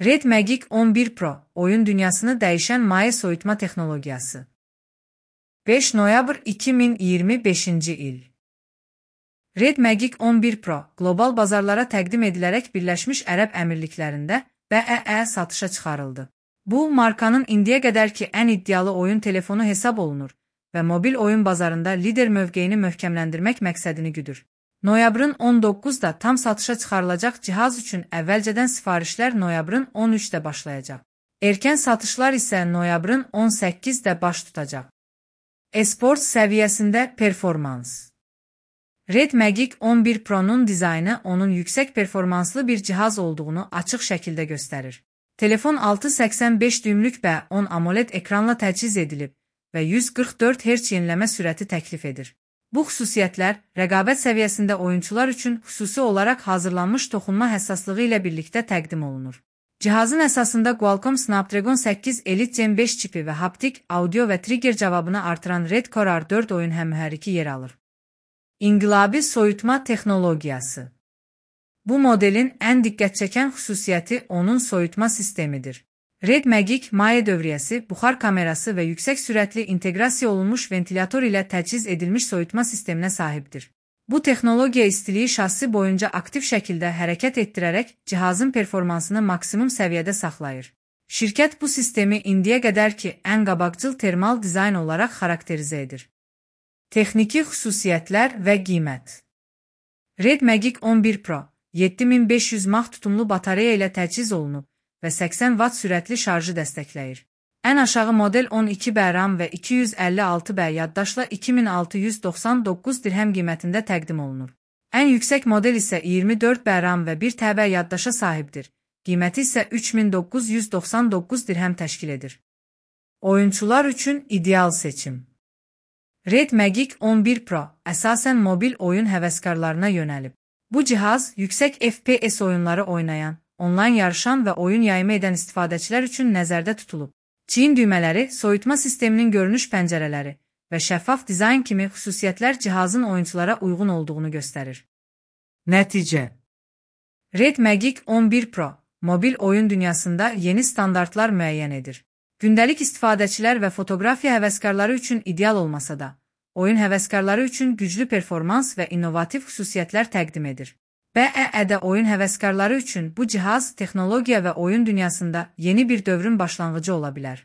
Red Magic 11 Pro, oyun dünyasını dəyişən maye soyutma texnologiyası. 5 noyabr 2025-ci il. Red Magic 11 Pro, qlobal bazarlara təqdim edilərək Birləşmiş Ərəb Əmirliklərində BEE satışa çıxarıldı. Bu, markanın indiyə qədərki ən iddialı oyun telefonu hesab olunur və mobil oyun bazarında lider mövqeyini möhkəmləndirmək məqsədini güdür. Noyabrın 19-da tam satışa çıxarılacaq cihaz üçün əvvəlcədən sifarişlər noyabrın 13-də başlayacaq. Erkən satışlar isə noyabrın 18-də baş tutacaq. E-sport səviyyəsində performans. Red Magic 11 Pro'nun dizaynı onun yüksək performanslı bir cihaz olduğunu açıq şəkildə göstərir. Telefon 6.85 düymlük və 10 AMOLED ekranla təchiz edilib və 144 Hz yeniləmə sürəti təklif edir. Bu xüsusiyyətlər rəqabət səviyyəsində oyunçular üçün xüsusi olaraq hazırlanmış toxunma həssaslığı ilə birlikdə təqdim olunur. Cihazın əsasında Qualcomm Snapdragon 8 Elite Gen 5 çipi və haptik, audio və trigger cavabını artıran Red Core R4 oyun həmmühərriki yer alır. İnqilabi soyutma texnologiyası. Bu modelin ən diqqət çəkən xüsusiyyəti onun soyutma sistemidir. Red Magic maye dövriyyəsi, buxar kamerası və yüksək sürətli inteqrasiya olunmuş ventilator ilə təchiz edilmiş soyutma sisteminə sahibdir. Bu texnologiya istiliyi şassi boyunca aktiv şəkildə hərəkət etdirərək cihazın performansını maksimum səviyyədə saxlayır. Şirkət bu sistemi indiyə qədərki ən qabaqcıl termal dizayn olaraq xarakterizə edir. Texniki xüsusiyyətlər və qiymət. Red Magic 11 Pro 7500 mAh tutumlu batareya ilə təchiz olunub və 80 Watt sürətli şarjı dəstəkləyir. Ən aşağı model 12B RAM və 256B yaddaşla 2699 dirhəm qiymətində təqdim olunur. Ən yüksək model isə 24B RAM və 1TB yaddaşa sahibdir. Qiyməti isə 3999 dirhəm təşkil edir. Oyunçular üçün ideal seçim. Red Magic 11 Pro əsasən mobil oyun həvəskarlarına yönəlib. Bu cihaz yüksək FPS oyunları oynayan, onlayn yarışan və oyun yayımı edən istifadəçilər üçün nəzərdə tutulub. Çiyin düymələri, soyutma sisteminin görünüş pəncərələri və şəffaf dizayn kimi xüsusiyyətlər cihazın oyunçulara uyğun olduğunu göstərir. Nəticə. Red Magic 11 Pro, mobil oyun dünyasında yeni standartlar müəyyən edir. Gündəlik istifadəçilər və fotoqrafiya həvəskarları üçün ideal olmasa da, oyun həvəskarları üçün güclü performans və innovativ xüsusiyyətlər təqdim edir. BEE-də oyun həvəskarları üçün bu cihaz texnologiya və oyun dünyasında yeni bir dövrün başlanğıcı ola bilər.